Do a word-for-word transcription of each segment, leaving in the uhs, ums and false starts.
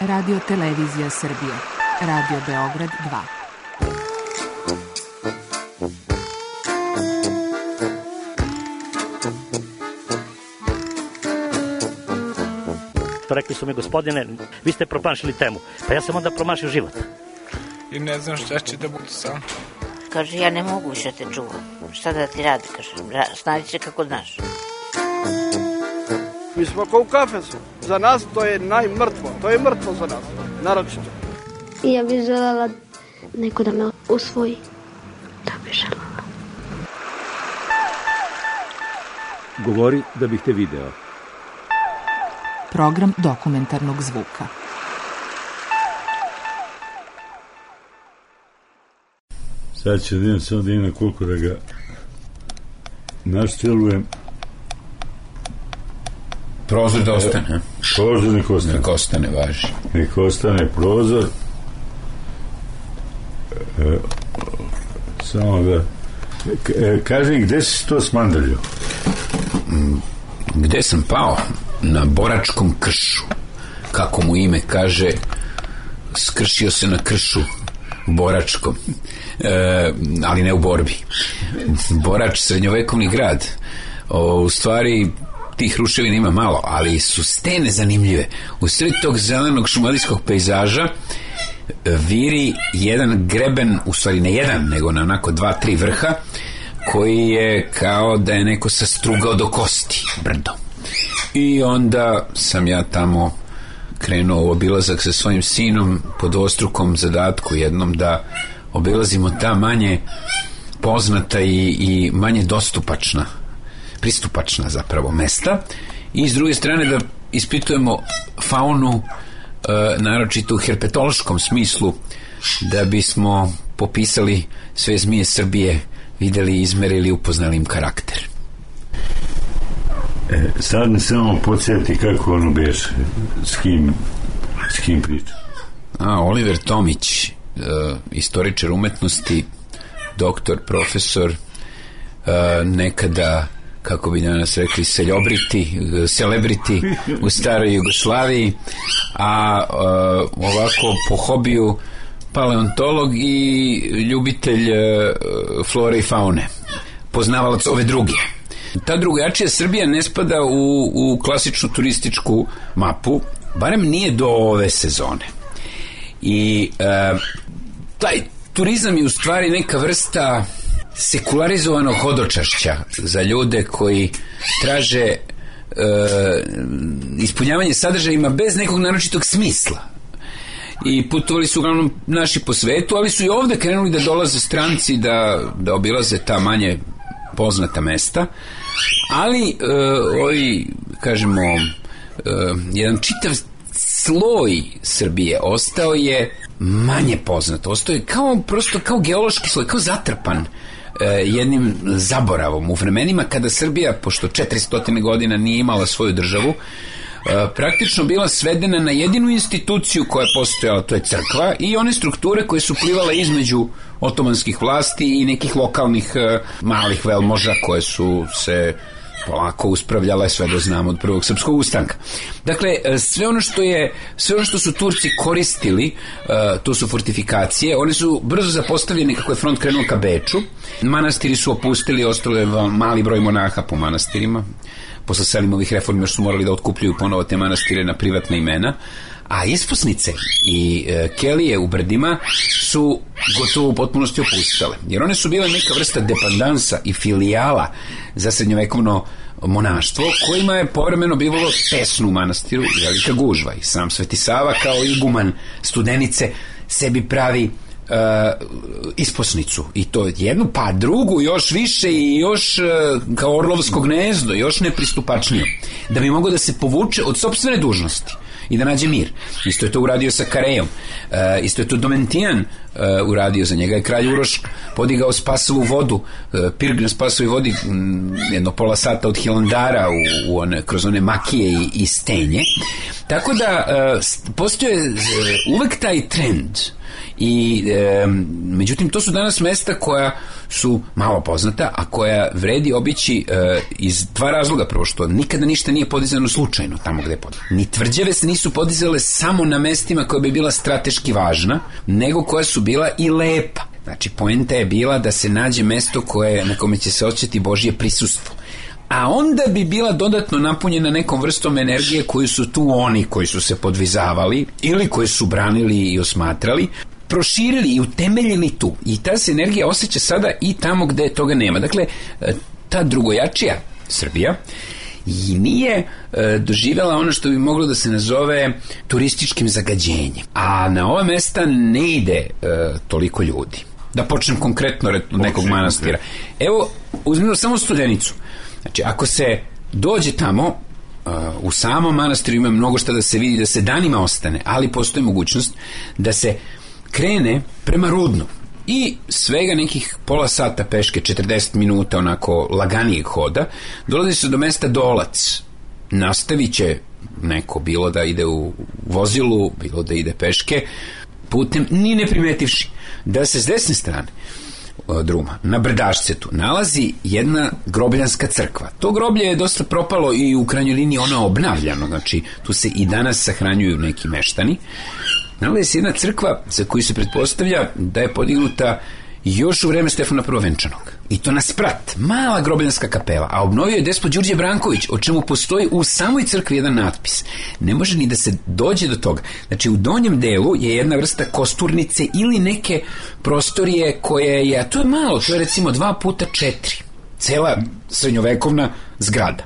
Radio Televizija Srbije. Radio Beograd dva. Rekli su mi, gospodine, vi ste promašili temu. Pa ja sam onda promašio život. I ne znam šta će da bude sam. Kaže, ja ne mogu više te čuvam. Šta da ti radi, kaže, snađi se kako znaš. Mi smo kao u kafesu. Za nas to je najmrtvo. To je mrtvo za nas, naročito. Ja bih želela neko da me usvoji. Da bih želela. Govori da bih te video. Program dokumentarnog zvuka. Sad ću da idem samo da ima koliko da ga naštelujem. Prozor da ostane. Prozor nek ostane. Nek ostane, važi. Nek ostane prozor. E, samo da... E, kaži mi, gde si to smandalio? Gde sam pao? Na Boračkom kršu. Kako mu ime kaže, skršio se na kršu Boračkom. E, ali ne u borbi. Borač, srednjovekovni grad. O, u stvari... tih ruševina ima malo, ali su stene zanimljive. U sred tog zelenog šumadijskog pejzaža viri jedan greben, u stvari ne jedan, nego na onako dva, tri vrha, koji je kao da je neko sastrugao do kosti, brdo. I onda sam ja tamo krenuo u obilazak sa svojim sinom pod dvostrukom zadatku jednom da obilazimo ta manje poznata i, i manje dostupačna pristupačna zapravo mesta i s druge strane da ispitujemo faunu e, naročito u herpetološkom smislu da bismo popisali sve zmije Srbije, videli, izmerili, upoznali im karakter. E, sad mi samo podsjeti kako ono beše, s kim s kim priča. A, Oliver Tomić, e, istoričar umetnosti, doktor, profesor, e, nekada kako bi danas rekli, seljobriti, celebrity u staroj Jugoslaviji, a uh, ovako po hobiju paleontolog i ljubitelj uh, flore i faune, poznavalac ove druge. Ta drugačija Srbija ne spada u, u klasičnu turističku mapu, barem nije do ove sezone. I uh, taj turizam je u stvari neka vrsta sekularizovanog hodočašća za ljude koji traže e, ispunjavanje sadržajima bez nekog naročitog smisla. I putovali su uglavnom naši po svetu, ali su i ovde krenuli da dolaze stranci da, da obilaze ta manje poznata mesta. Ali e, ovi, kažemo, e, jedan čitav sloj Srbije ostao je manje poznat. Ostao je kao, prosto kao geološki sloj, kao zatrpan jednim zaboravom u vremenima kada Srbija, pošto četiristo godina nije imala svoju državu, praktično bila svedena na jedinu instituciju koja je postojala, to je crkva, i one strukture koje su plivale između otomanskih vlasti i nekih lokalnih malih velmoža koje su se polako uspravljala sve do znamo od prvog srpskog ustanka. Dakle, sve ono što je, sve ono što su Turci koristili, uh, to su fortifikacije, one su brzo zapostavljene kako je front krenuo ka Beču. Manastiri su opustili, ostalo je mali broj monaha po manastirima. Posle Selimovih reformi još su morali da otkupljuju ponovo te manastire na privatna imena. A isposnice i e, kelije u brdima su gotovo u potpunosti opustale. Jer one su bile neka vrsta dependansa i filijala za srednjovekovno monaštvo, kojima je povremeno bivalo tesno u manastiru velika gužva. I sam Sveti Sava kao iguman Studenice sebi pravi Uh, isposnicu, i to jednu pa drugu još više i još uh, kao orlovsko gnezdo, još nepristupačnije, da bi mogao da se povuče od sopstvene dužnosti i da nađe mir. Isto je to uradio sa Karejom, uh, isto je to Domentijan uh, uradio, za njega je kralj Uroš podigao spasovu vodu, uh, pirg na spasovoj vodi um, jedno pola sata od Hilandara u, u one, kroz one makije i, i stenje. Tako da uh, postoje uh, uvek taj trend. I e, međutim to su danas mesta koja su malo poznata, a koja vredi obići e, iz dva razloga. Prvo što nikada ništa nije podizano slučajno tamo gde je podizano. Ni tvrđave se nisu podizale samo na mestima koja bi bila strateški važna, nego koja su bila i lepa. Znači, poenta je bila da se nađe mesto koje, na kome će se osjećati Božje prisustvo. A onda bi bila dodatno napunjena nekom vrstom energije koju su tu oni koji su se podvizavali ili koji su branili i osmatrali, proširili i utemeljili tu. I ta se energija osjeća sada i tamo gde toga nema. Dakle, ta drugojačija Srbija i nije e, doživjela ono što bi moglo da se nazove turističkim zagađenjem. A na ova mesta ne ide e, toliko ljudi. Da počnem konkretno od nekog manastira. Evo, uzmimo samo Studenicu. Znači, ako se dođe tamo, uh, u samom manastiru ima mnogo šta da se vidi, da se danima ostane, ali postoji mogućnost da se krene prema Rudnu i svega nekih pola sata peške, četrdeset minuta onako laganijeg hoda, dolazi se do mesta Dolac. Nastavit će neko, bilo da ide u vozilu, bilo da ide peške, putem, ni ne primetivši da se s desne strane druma, na Brdašcetu, nalazi jedna grobljanska crkva. To groblje je dosta propalo i u krajnjoj liniji ono je obnavljano, znači tu se i danas sahranjuju neki meštani. Nalazi se jedna crkva za koju se pretpostavlja da je podignuta još u vreme Stefana Prvovenčanog. I to na sprat, mala grobljanska kapela, a obnovio je despot Đurđe Branković, o čemu postoji u samoj crkvi jedan natpis. Ne može ni da se dođe do toga. Znači, u donjem delu je jedna vrsta kosturnice ili neke prostorije koje je, a to je malo, to je recimo dva puta četiri. Cela srednjovekovna zgrada.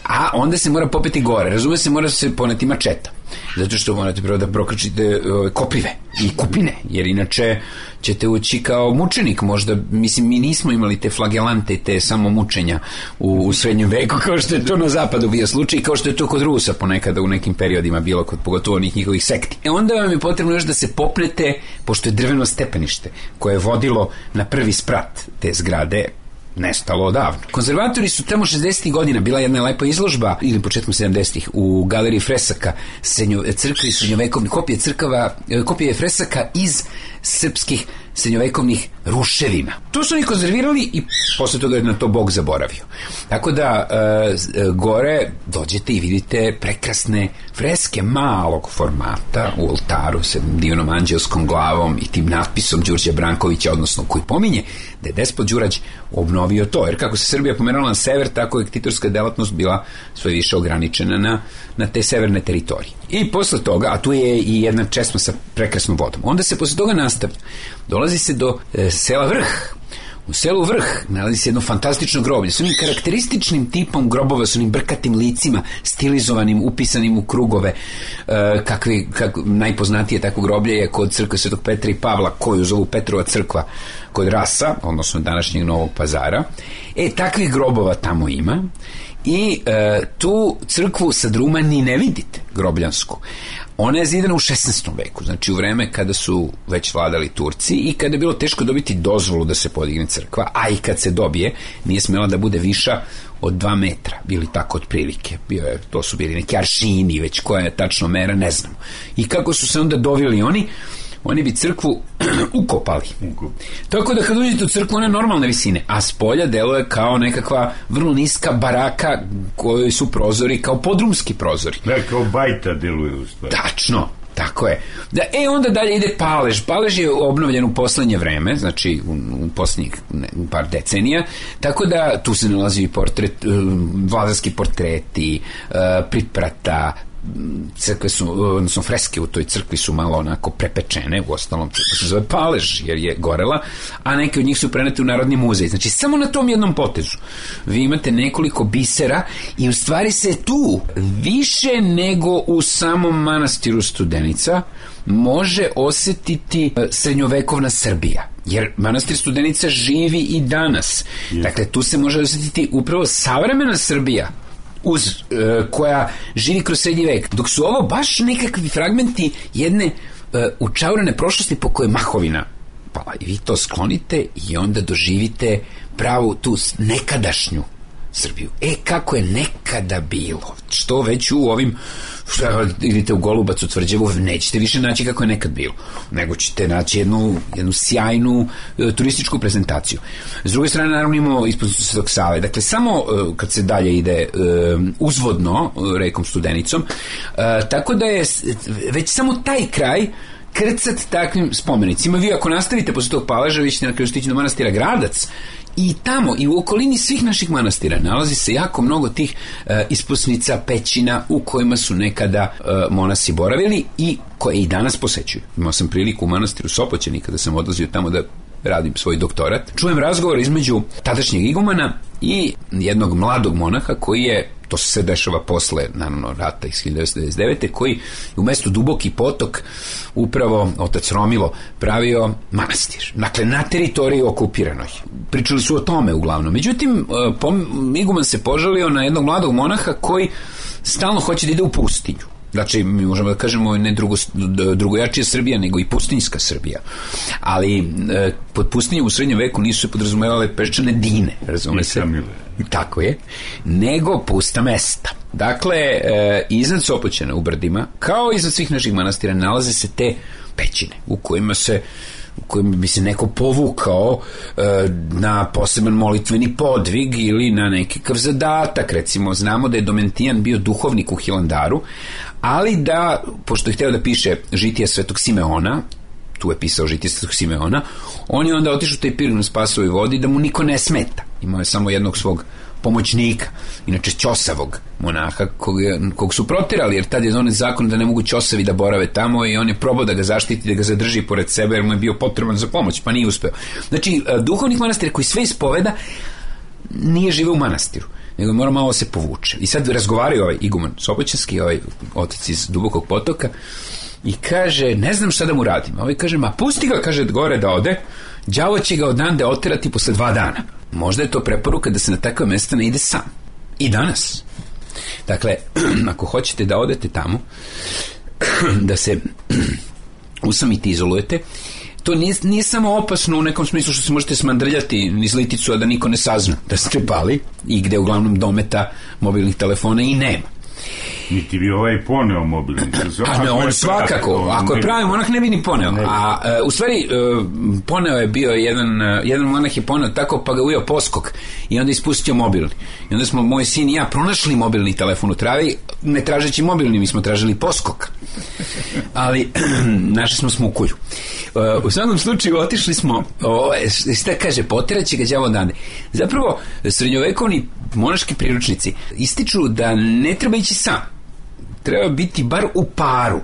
A onda se mora popeti gore. Razume se, mora se poneti mačeta. Zato što morate prvo da prokačite uh, koprive i kupine, jer inače ćete ući kao mučenik. Možda, mislim, mi nismo imali te flagelante, te samo mučenja u, u srednjem veku, kao što je to na zapadu bio slučaj, kao što je to kod Rusa ponekada u nekim periodima bilo, kod pogotovo onih njihovih sekti. E onda vam je potrebno još da se popnete, pošto je drveno stepenište koje je vodilo na prvi sprat te zgrade, nestalo odavno. Konzervatori su tamo šezdesetih godina, bila jedna lepa izložba, ili početkom sedamdesetih, u galeriji fresaka srednjo, crkvi srednjovekovnih, kopije crkava, kopije fresaka iz srpskih srednjovekovnih ruševina. To su oni konzervirali i posle toga je na to Bog zaboravio. Tako da e, gore dođete i vidite prekrasne freske malog formata u oltaru sa divnom anđelskom glavom i tim natpisom Đurđa Brankovića, odnosno koji pominje da je despot Đurađ obnovio to. Jer kako se Srbija pomerala na sever, tako je ktitorska delatnost bila sve više ograničena na, na te severne teritorije. I posle toga, a tu je i jedna česma sa prekrasnom vodom, onda se posle toga nastavlja. Dolazi se do e, sela Vrh. U selu Vrh nalazi se jedno fantastično groblje s onim karakterističnim tipom grobova, s onim brkatim licima, stilizovanim, upisanim u krugove. E, kakvi, kak, najpoznatije tako groblje je kod crkve Svetog Petra i Pavla, koju zovu Petrova crkva kod Rasa, odnosno današnjeg Novog Pazara. E, takvih grobova tamo ima. I e, tu crkvu sa druma ni ne vidite, grobljansku. Ona je zidana u šesnaestom veku, znači u vreme kada su već vladali Turci i kada je bilo teško dobiti dozvolu da se podigne crkva, a i kad se dobije, nije smela da bude viša od dva metra, bili tako otprilike. Bio je, to su bili neki aršini, već koja je tačno mera, ne znamo. I kako su se onda dovili oni, oni bi crkvu ukopali. Tako da kad uđete u crkvu, ona je normalne visine, a s polja deluje kao nekakva vrlo niska baraka kojoj su prozori kao podrumski prozori. Da, kao bajta deluje u stvari. Tačno, tako je. Da, e, onda dalje ide Palež. Palež je obnovljen u poslednje vreme, znači u, u poslednjih ne, par decenija, tako da tu se nalazi i portret, vladarski portreti, priprata, crkve su, odnosno freske u toj crkvi su malo onako prepečene, u ostalom crkva se zove Palež jer je gorela, a neke od njih su prenete u Narodni muzej. Znači samo na tom jednom potezu vi imate nekoliko bisera i u stvari se tu više nego u samom manastiru Studenica može osetiti srednjovekovna Srbija, jer manastir Studenica živi i danas. Yes. Dakle, tu se može osetiti upravo savremena Srbija uz, e, koja živi kroz srednji vek, dok su ovo baš nekakvi fragmenti jedne e, učaurene prošlosti po kojoj mahovina pala. I vi to sklonite i onda doživite pravu tu nekadašnju Srbiju. E, kako je nekada bilo, što već u ovim, što idete u Golubac, u Tvrđevu, nećete više naći kako je nekad bilo, nego ćete naći jednu, jednu sjajnu e, turističku prezentaciju. S druge strane, naravno, imamo ispod Svetog Save. Dakle, samo e, kad se dalje ide e, uzvodno e, rekom Studenicom, e, tako da je već samo taj kraj krcat takvim spomenicima. Vi ako nastavite posle tog Paleža, vi ćete na kraju stići do manastira Gradac, i tamo i u okolini svih naših manastira nalazi se jako mnogo tih e, isposnica, pećina u kojima su nekada e, monasi boravili i koje i danas posećuju. Imao sam priliku u manastiru Sopoćani kada sam odlazio tamo da radim svoj doktorat. Čujem razgovor između tadašnjeg igumana i jednog mladog monaha koji je, to se sve dešava posle, naravno, rata iz hiljadu devetsto devedeset devete. koji je u mestu Duboki potok upravo otac Romilo pravio manastir. Dakle, na teritoriji okupiranoj. Pričali su o tome uglavnom. Međutim, iguman se požalio na jednog mladog monaha koji stalno hoće da ide u pustinju. Znači, mi možemo da kažemo ne drugo, drugojačija Srbija, nego i pustinjska Srbija. Ali e, pod pustinjom u srednjem veku nisu se podrazumevale peščane dine, razume se? Tako je. Nego pusta mesta. Dakle, e, iznad Sopoćana u Brdima, kao i iznad svih naših manastira, nalaze se te pećine u kojima se u kojima bi se neko povukao e, na poseban molitveni podvig ili na nekakav zadatak. Recimo, znamo da je Domentijan bio duhovnik u Hilandaru, ali da, pošto je hteo da piše žitije Svetog Simeona, tu je pisao žitije Svetog Simeona, on je onda otišao taj pir na Spasovoj vodi da mu niko ne smeta. Imao je samo jednog svog pomoćnika, inače ćosavog monaha, kog, kog su proterali, jer tad je donet zakon da ne mogu ćosavi da borave tamo i on je probao da ga zaštiti, da ga zadrži pored sebe, jer mu je bio potreban za pomoć, pa nije uspeo. Znači, duhovnik manastira koji sve ispoveda nije živeo u manastiru, nego mora malo se povuče. I sad razgovaraju ovaj iguman Sopoćanski, ovaj otac iz Dubokog potoka, i kaže, ne znam šta da mu radim. A ovaj kaže, ma pusti ga, kaže, gore da ode, đavo će ga odande oterati posle dva dana. Možda je to preporuka da se na takva mesta ne ide sam. I danas. Dakle, ako hoćete da odete tamo, da se usamite, izolujete, to nije, nije samo opasno u nekom smislu što se možete smandrljati niz liticu, a da niko ne sazna da ste pali, i gde uglavnom dometa mobilnih telefona i nema. Niti bi ovaj poneo mobilni. A ne, on svakako. Ako je pravi monah, ne bi ni poneo. A uh, u stvari, uh, poneo je bio jedan, uh, jedan monah je poneo tako, pa ga ujeo poskok i onda ispustio mobilni. I onda smo, moj sin i ja, pronašli mobilni telefon u travi, ne tražeći mobilni, mi smo tražili poskok. Ali našli smo smukulju. Uh, u svakom slučaju otišli smo, o, šta kaže, poteraće ga đavo odande. Zapravo, srednjovekovni monaški priručnici ističu da ne treba ići sam, treba biti bar u paru.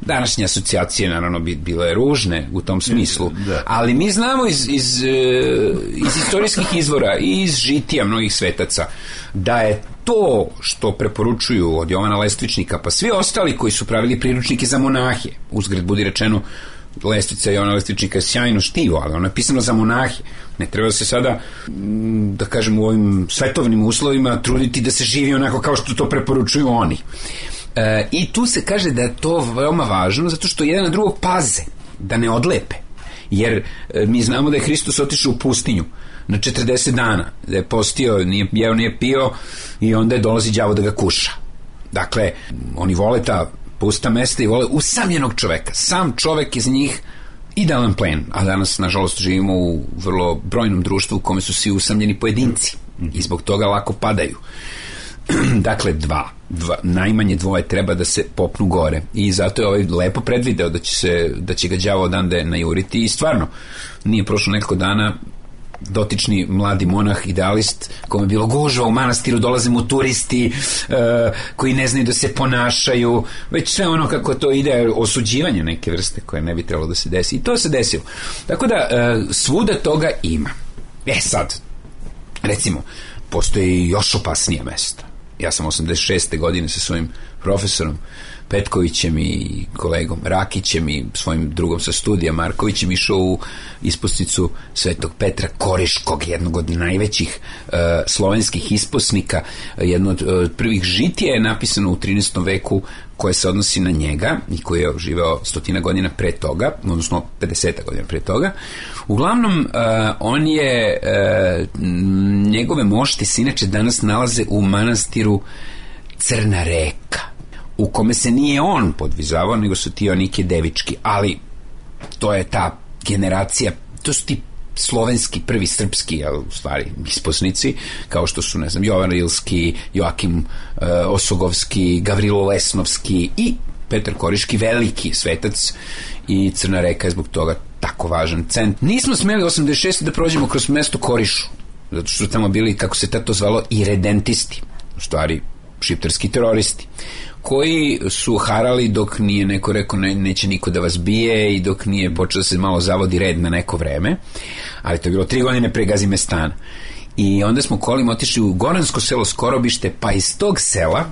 Današnje asocijacije naravno bi bile ružne u tom smislu, da. Ali mi znamo iz, iz, iz istorijskih izvora i iz žitija mnogih svetaca da je to što preporučuju od Jovana Lestvičnika pa svi ostali koji su pravili priručnike za monahe, uzgred budi rečeno, Lestvica Jovana Lestvičnika je sjajno štivo, ali ono je pisano za monahe. Ne treba se sada, da kažem, u ovim svetovnim uslovima truditi da se živi onako kao što to preporučuju oni. E, I tu se kaže da je to veoma važno zato što jedan na drugog paze, da ne odlepe. Jer e, mi znamo da je Hristos otišao u pustinju na četrdeset dana, da je postio, nije jeo, nije pio i onda je dolazi đavo da ga kuša. Dakle, oni vole ta pusta mesta i vole usamljenog čoveka. Sam čovek iz njih idealan plen, a danas, nažalost, živimo u vrlo brojnom društvu u kome su svi usamljeni pojedinci i zbog toga lako padaju. Dakle, dva, dva, najmanje dvoje treba da se popnu gore i zato je ovaj lepo predvideo da će, se, da će ga đavo odande najuriti i stvarno, nije prošlo nekoliko dana, dotični mladi monah, idealist, kome je bilo gužva u manastiru, dolaze mu turisti uh, koji ne znaju da se ponašaju, već sve ono kako to ide, osuđivanje neke vrste koje ne bi trebalo da se desi, i to se desilo. Tako da uh, svuda toga ima. E sad, recimo, postoji još opasnije mesta. Ja sam osamdeset šeste godine sa svojim profesorom Petkovićem i kolegom Rakićem i svojim drugom sa studija Markovićem išao u isposnicu Svetog Petra Koriškog, jednog od najvećih uh, slovenskih isposnika. Jedno od uh, prvih žitija je napisano u trinaestom veku koje se odnosi na njega i koji je živeo stotina godina pre toga, odnosno pedeseta godina pre toga. Uglavnom, uh, on je, uh, njegove mošti se inače danas nalaze u manastiru Crna Reka, u kome se nije on podvizavao, nego su ti Onike Devički, ali to je ta generacija, to su ti slovenski, prvi srpski, ali u stvari isposnici, kao što su, ne znam, Jovan Rilski, Joakim uh, Osogovski, Gavrilo Lesnovski i Petar Koriški, veliki svetac, i Crna Reka je zbog toga tako važan centar. Nismo smeli osamdeset šeste da prođemo kroz mesto Korišu, zato što su tamo bili, kako se tato zvalo, iredentisti, u stvari šiptarski teroristi, koji su harali dok nije neko rekao ne, neće niko da vas bije i dok nije počeo da se malo zavodi red na neko vreme, ali to je bilo tri godine pre Gazimestana. I onda smo kolima otišli u Goransko selo Skorobište, pa iz tog sela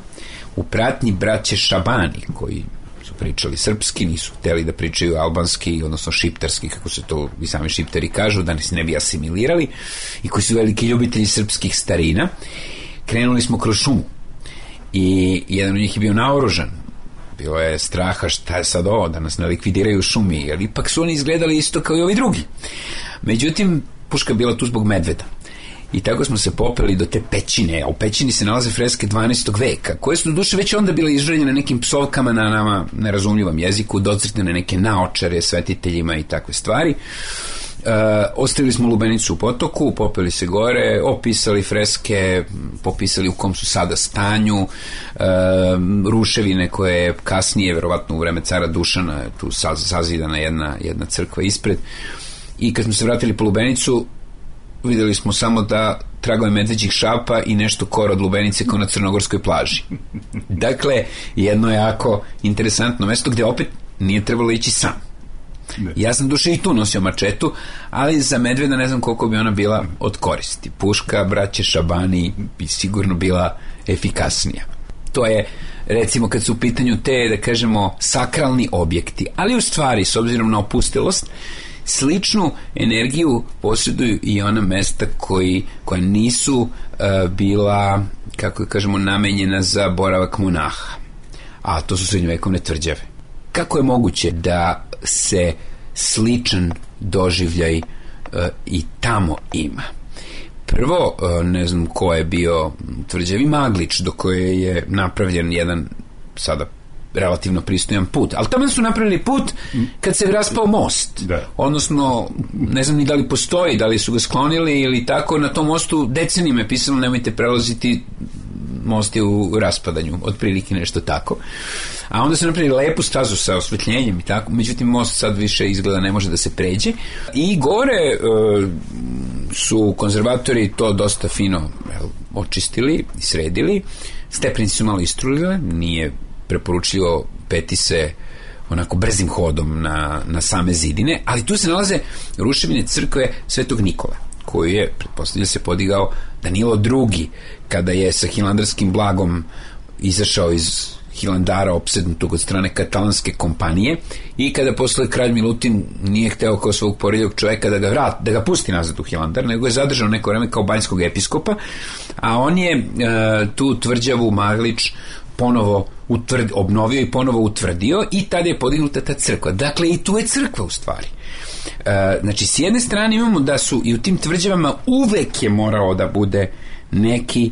u pratnji braće Šabani, koji su pričali srpski, nisu hteli da pričaju albanski, odnosno šiptarski, kako se to i sami šiptari kažu, da se ne bi asimilirali, i koji su veliki ljubitelji srpskih starina. Krenuli smo kroz šumu i jedan od njih je bio naoružan. Bilo je straha šta je sad ovo, da nas ne likvidiraju u šumi, jer ipak su oni izgledali isto kao i ovi drugi. Međutim, puška je bila tu zbog medveda. I tako smo se popeli do te pećine, a u pećini se nalaze freske dvanaestog veka, koje su do duše već onda bile izželjene nekim psovkama na nama nerazumljivom jeziku, docrtane neke naočare svetiteljima i takve stvari. Uh, ostavili smo lubenicu u potoku, popeli se gore, opisali freske, popisali u kom su sada stanju, uh, ruševine koje je kasnije, verovatno u vreme cara Dušana, tu sazidana jedna, jedna crkva ispred. I kad smo se vratili po lubenicu, videli smo samo da tragove medveđih šapa i nešto kora od lubenice kao na crnogorskoj plaži. Dakle, jedno jako interesantno mesto gde opet nije trebalo ići sam. Ne. Ja sam duše i tu nosio mačetu, ali za medveda ne znam koliko bi ona bila od koristi. Puška braće Šabani bi sigurno bila efikasnija. To je, recimo, kad su u pitanju te, da kažemo, sakralni objekti, ali u stvari, s obzirom na opustilost, sličnu energiju posjeduju i ona mesta koji, koja nisu uh, bila, kako kažemo, namenjena za boravak monaha, a to su srednjovekovne tvrđave. Kako je moguće da se sličan doživljaj uh, i tamo ima? Prvo, uh, ne znam ko je bio tvrđavi Maglič, do koje je napravljen jedan sada relativno pristojan put, ali tamo su napravili put kad se raspao most, da. Odnosno, ne znam ni da li postoji, da li su ga sklonili ili tako. Na tom mostu decenijima je pisalo nemojte prelaziti, most je u raspadanju, otprilike nešto tako. A onda su napravili lepu stazu sa osvetljenjem i tako, međutim most sad više izgleda ne može da se pređe. I gore e, su konzervatori to dosta fino jel, očistili i sredili. Stepenice su malo istrulile, nije preporučljivo peti se onako brzim hodom na, na same zidine, ali tu se nalaze ruševine crkve Svetog Nikola, koju je, pretpostavlja se, podigao Danilo drugi, kada je sa hilandarskim blagom izašao iz Hilandara opsednutog od strane katalanske kompanije i kada posle kralj Milutin nije hteo kao svog poredljog čoveka da ga vrat, da ga pusti nazad u Hilandar, nego je zadržao neko vreme kao banjskog episkopa, a on je e, tu tvrđavu Maglič ponovo utvrd, obnovio i ponovo utvrdio i tada je podignuta ta crkva. Dakle, i tu je crkva u stvari. E, znači, s jedne strane imamo da su i u tim tvrđavama uvek je morao da bude neki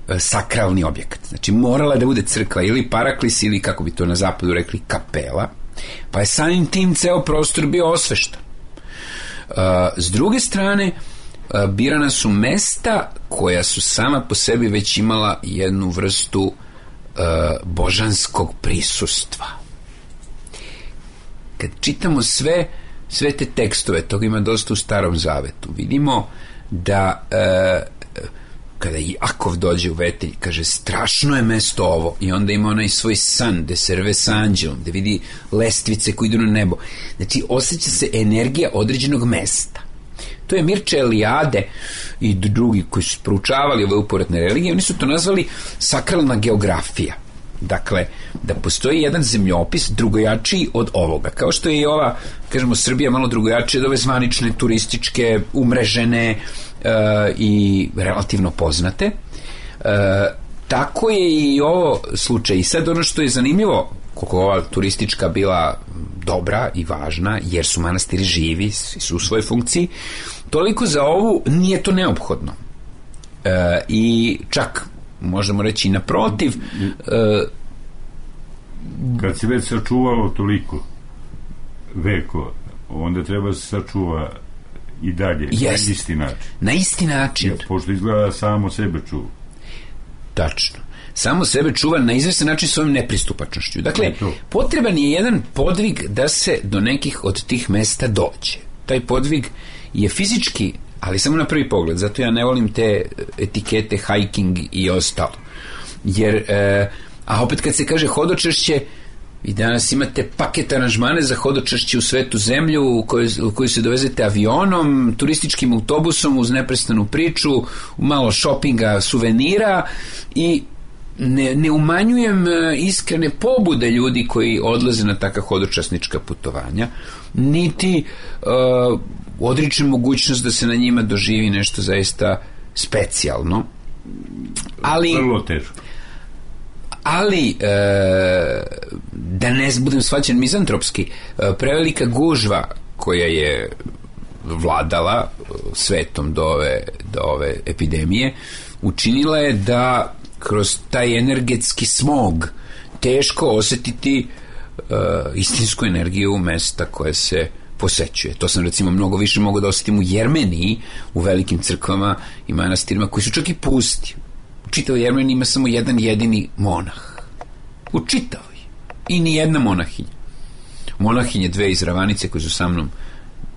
e, sakralni objekat. Znači, morala da bude crkva ili paraklis ili, kako bi to na zapadu rekli, kapela, pa je samim tim ceo prostor bio osveštan. E, s druge strane, e, birana su mesta koja su sama po sebi već imala jednu vrstu Uh, božanskog prisustva. Kad čitamo sve sve te tekstove, toga ima dosta u Starom Zavetu, vidimo da uh, kada Jakov dođe u Vetelj, kaže strašno je mesto ovo, i onda ima onaj svoj san gde se rve sa anđelom, gde vidi lestvice koji idu na nebo. Znači, osjeća se energija određenog mesta. To je Mirče Eliade i drugi koji su proučavali ove uporedne religije, oni su to nazvali sakralna geografija. Dakle, da postoji jedan zemljopis drugojačiji od ovoga. Kao što je i ova, kažemo, Srbija malo drugojačija od ove zvanične, turističke, umrežene uh, i relativno poznate. Uh, tako je i ovo slučaj. I sad ono što je zanimljivo, koliko ova turistička bila dobra i važna, jer su manastiri živi, su u svojoj funkciji, toliko za ovu nije to neophodno. E, I čak, možemo reći i naprotiv, e, kad se već sačuvalo toliko veko, onda treba se sačuva i dalje, jest, na isti način. Na isti način. Ja, pošto izgleda samo sebe čuva. Tačno. Samo sebe čuva na izvestan način svojom nepristupačnošću. Dakle, potreban je jedan podvig da se do nekih od tih mesta dođe. Taj podvig je fizički, ali samo na prvi pogled. Zato ja ne volim te etikete hiking i ostalo. Jer, e, a opet kad se kaže hodočašće, i danas imate paket aranžmane za hodočašće u svetu zemlju u kojoj, u kojoj se dovezete avionom, turističkim autobusom uz neprestanu priču, malo šopinga, suvenira i ne, ne umanjujem iskrene pobude ljudi koji odlaze na takva hodočasnička putovanja, niti uh, odričem mogućnost da se na njima doživi nešto zaista specijalno. Ali vrlo teško. Ali e, da ne budem shvaćen mizantropski, e, prevelika gužva koja je vladala svetom do ove, do ove epidemije učinila je da kroz taj energetski smog teško osetiti e, istinsku energiju mesta koje se posećuje. To sam recimo mnogo više mogao da osetim u Jermeniji, u velikim crkvama i manastirima koji su čak i pusti. U čitavoj Jermeniji ima samo jedan jedini monah. U čitavoj. I ni jedna monahinja. Monahinje dve iz Ravanice koje su sa mnom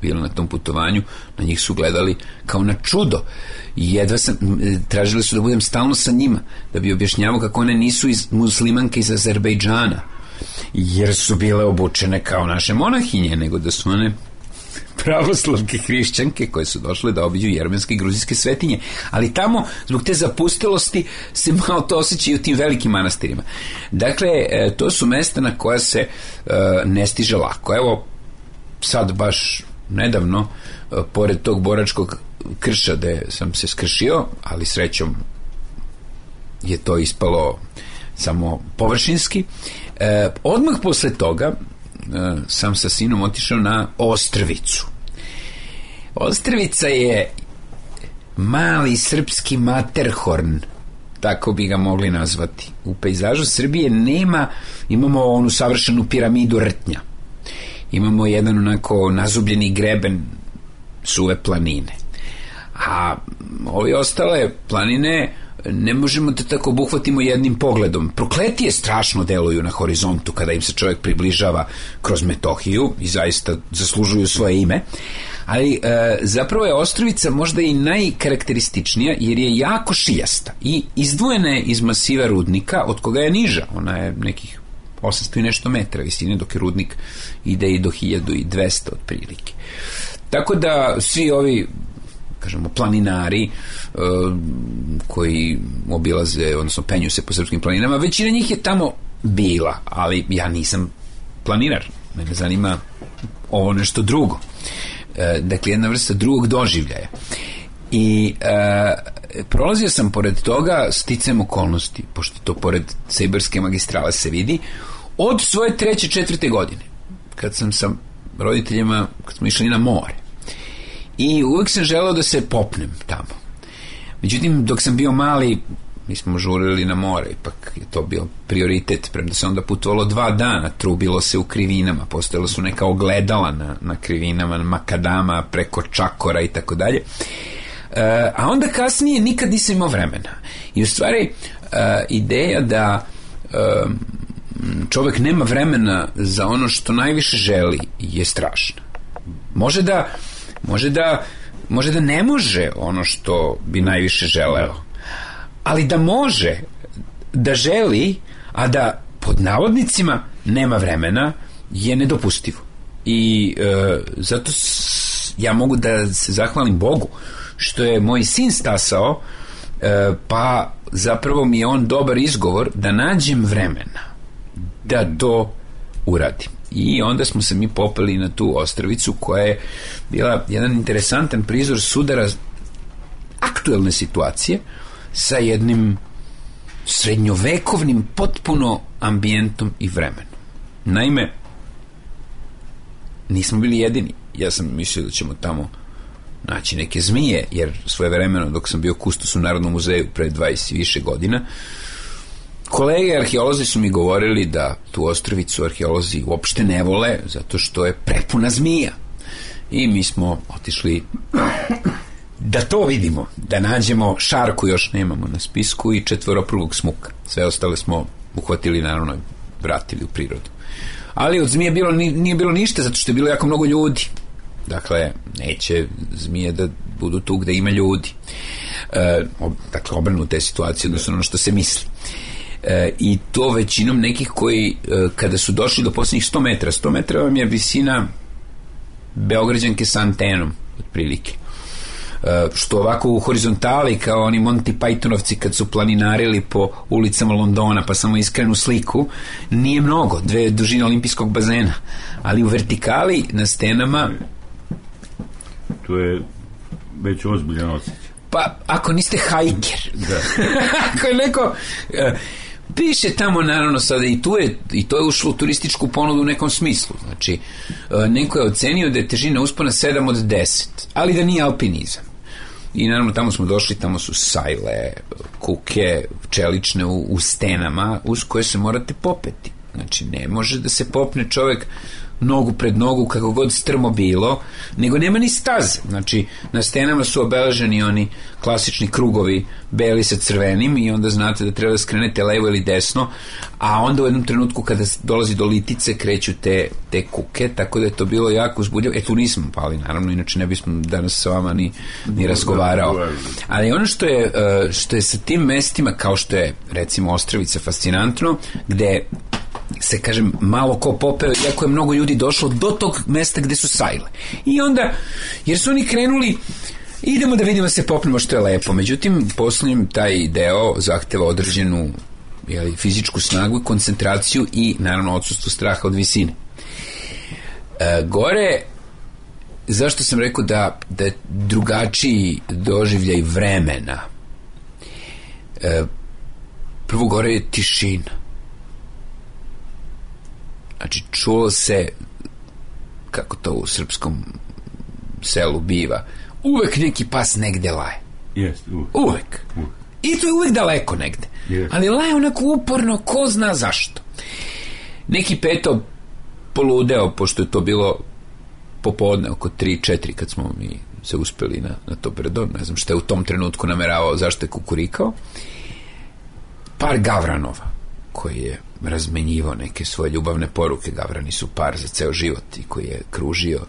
bile na tom putovanju, na njih su gledali kao na čudo. I jedva sam, tražili su da budem stalno sa njima, da bi objašnjavao kako one nisu iz, muslimanke iz Azerbejdžana, jer su bile obučene kao naše monahinje, nego da su one pravoslavke hrišćanke koje su došle da obiđu jermenske i gruzijske svetinje. Ali tamo, zbog te zapustilosti, se malo to osjeća i u tim velikim manastirima. Dakle, to su mesta na koja se uh, ne stiže lako. Evo, sad baš nedavno, uh, pored tog boračkog krša gde sam se skršio, ali srećom je to ispalo samo površinski, uh, odmah posle toga uh, sam sa sinom otišao na Ostrvicu. Ostrvica je mali srpski Materhorn, tako bi ga mogli nazvati. U pejzažu Srbije nema, imamo onu savršenu piramidu rtnja. Imamo jedan onako nazubljeni greben suve planine. A ove ostale planine ne možemo da tako obuhvatimo jednim pogledom. Prokletije strašno deluju na horizontu kada im se čovjek približava kroz Metohiju i zaista zaslužuju svoje ime. Ali e, zapravo je Ostrvica možda i najkarakterističnija jer je jako šiljasta i izdvojena je iz masiva rudnika od koga je niža. Ona je nekih osamsto i nešto metra visine, dok je rudnik ide i do hiljadu dvesta otprilike. Tako da svi ovi, kažemo, planinari uh, koji obilaze, odnosno penju se po srpskim planinama, većina njih je tamo bila, ali ja nisam planinar, mene zanima ovo nešto drugo. Uh, dakle, jedna vrsta drugog doživljaja. I uh, prolazio sam pored toga sticajem okolnosti, pošto to pored Sejberske magistrale se vidi, od svoje treće, četvrte godine, kad sam sa roditeljima, kad smo išli na more. I uvijek sam želeo da se popnem tamo. Međutim, dok sam bio mali, mi smo žurili na more, ipak je to bio prioritet, premda se onda putovalo dva dana, trubilo se u krivinama, postojalo su neka ogledala na, na krivinama, na makadama, preko čakora i tako dalje. A onda kasnije nikad nisam imao vremena. I u stvari uh, ideja da uh, čovjek nema vremena za ono što najviše želi je strašna. Može da može da može da ne može ono što bi najviše želeo, ali da može da želi, a da pod navodnicima nema vremena, je nedopustivo. I uh, zato s, ja mogu da se zahvalim Bogu što je moj sin stasao e, pa zapravo mi je on dobar izgovor da nađem vremena da to uradim. I onda smo se mi popeli na tu ostrvicu koja je bila jedan interesantan prizor sudara aktuelne situacije sa jednim srednjovekovnim potpuno ambijentom i vremenom. Naime, nismo bili jedini. Ja sam mislio da ćemo tamo naći neke zmije, jer svoje vremeno dok sam bio kustos u Narodnom muzeju pre dvadeset i više godina, kolege arheolozi su mi govorili da tu ostrvicu arheolozi uopšte ne vole zato što je prepuna zmija. I mi smo otišli da to vidimo, da nađemo šarku, još nemamo na spisku, i četvoroprugog smuka. Sve ostale smo uhvatili, naravno, vratili u prirodu. Ali od zmije bilo, nije bilo ništa, zato što je bilo jako mnogo ljudi. Dakle, neće zmije da budu tu gde ima ljudi. E, ob, dakle, obrnuta je situacija odnosno ono što se misli. E, I to većinom nekih koji, e, kada su došli do posljednjih sto metara, sto metara vam je visina Beograđanke sa antenom, otprilike. E, što ovako u horizontali, kao oni Monty Pythonovci kad su planinarili po ulicama Londona, pa samo iskrenu sliku, nije mnogo, dve dužine olimpijskog bazena. Ali u vertikali, na stenama, to je već ozbiljan osjećaj. Pa, ako niste hajker, ako je neko... Uh, piše tamo, naravno, sada i tu je, i to je ušlo u turističku ponudu u nekom smislu. Znači, uh, neko je ocenio da je težina uspona sedam od deset, ali da nije alpinizam. I naravno, tamo smo došli, tamo su sajle, kuke, čelične u, u stenama, uz koje se morate popeti. Znači, ne može da se popne čovek nogu pred nogu, kako god strmo bilo, nego nema ni staze. Znači, na stenama su obeleženi oni klasični krugovi beli sa crvenim i onda znate da treba da skrenete levo ili desno, a onda u jednom trenutku kada dolazi do litice kreću te, te kuke, tako da je to bilo jako uzbudljivo. E, tu nismo pali, naravno, inače ne bismo danas sa vama ni, ni razgovarao. Ali ono što je, što je sa tim mestima, kao što je, recimo, Ostravica, fascinantno, gde se, kažem, malo ko popeo, iako je mnogo ljudi došlo do tog mesta gde su sajle. I onda, jer su oni krenuli, idemo da vidimo, se popnemo, što je lepo. Međutim, poslednjem taj deo zahteva određenu, jeli, fizičku snagu i koncentraciju i, naravno, odsustvo straha od visine. E, gore, zašto sam rekao da, da je drugačiji doživljaj vremena? E, prvo, gore je tišina. Znači, čulo se, kako to u srpskom selu biva, uvek neki pas negde laje. Yes, uvek. Uvek. uvek. I to je uvek daleko negde. Yes. Ali laje onako uporno, ko zna zašto. Neki peto poludeo, pošto je to bilo popodne oko tri četiri kad smo mi se uspeli na, na to brdo, ne znam šta je u tom trenutku nameravao, zašto je kukurikao. Par gavranova, koji je razmenjivao neke svoje ljubavne poruke. Gavrani su par za ceo život i koji je kružio,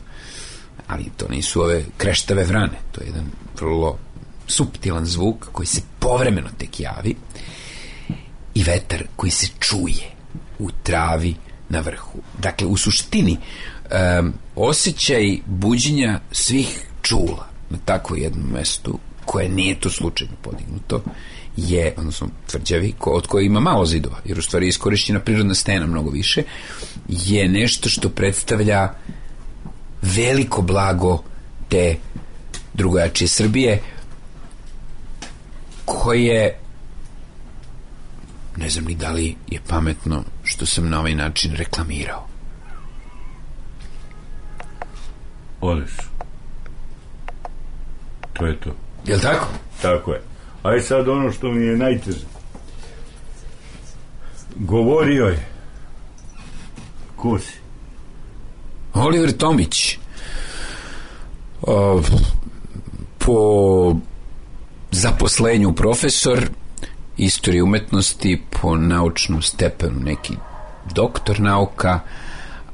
ali to nisu ove kreštave vrane, to je jedan vrlo suptilan zvuk koji se povremeno tek javi i vetar koji se čuje u travi na vrhu. Dakle, u suštini um, osjećaj buđenja svih čula na takvom jednom mestu, koje nije to slučajno podignuto, je, odnosno tvrđavi, ko, od koje ima malo zidova, jer u stvari je iskorišćena prirodna stena mnogo više, je nešto što predstavlja veliko blago te drugojačije Srbije, koje, ne znam ni da li je pametno što sam na ovaj način reklamirao. Odeš. To je to. Jel' tako? Tako je. Aj sad ono što mi je najteže. Govorio je. Ko si? Oliver Tomić. O, po zaposlenju profesor istorije umetnosti, po naučnom stepenu neki doktor nauka,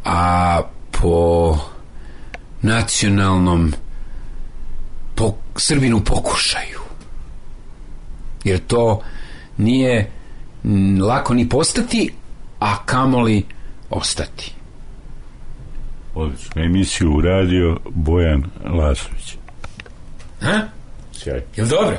a po nacionalnom po Srbinu pokušaju. Jer to nije lako ni postati, a kamoli ostati. Odlično. Emisiju uradio Bojan Lasović. Ha? Sjaj. Jel dobro?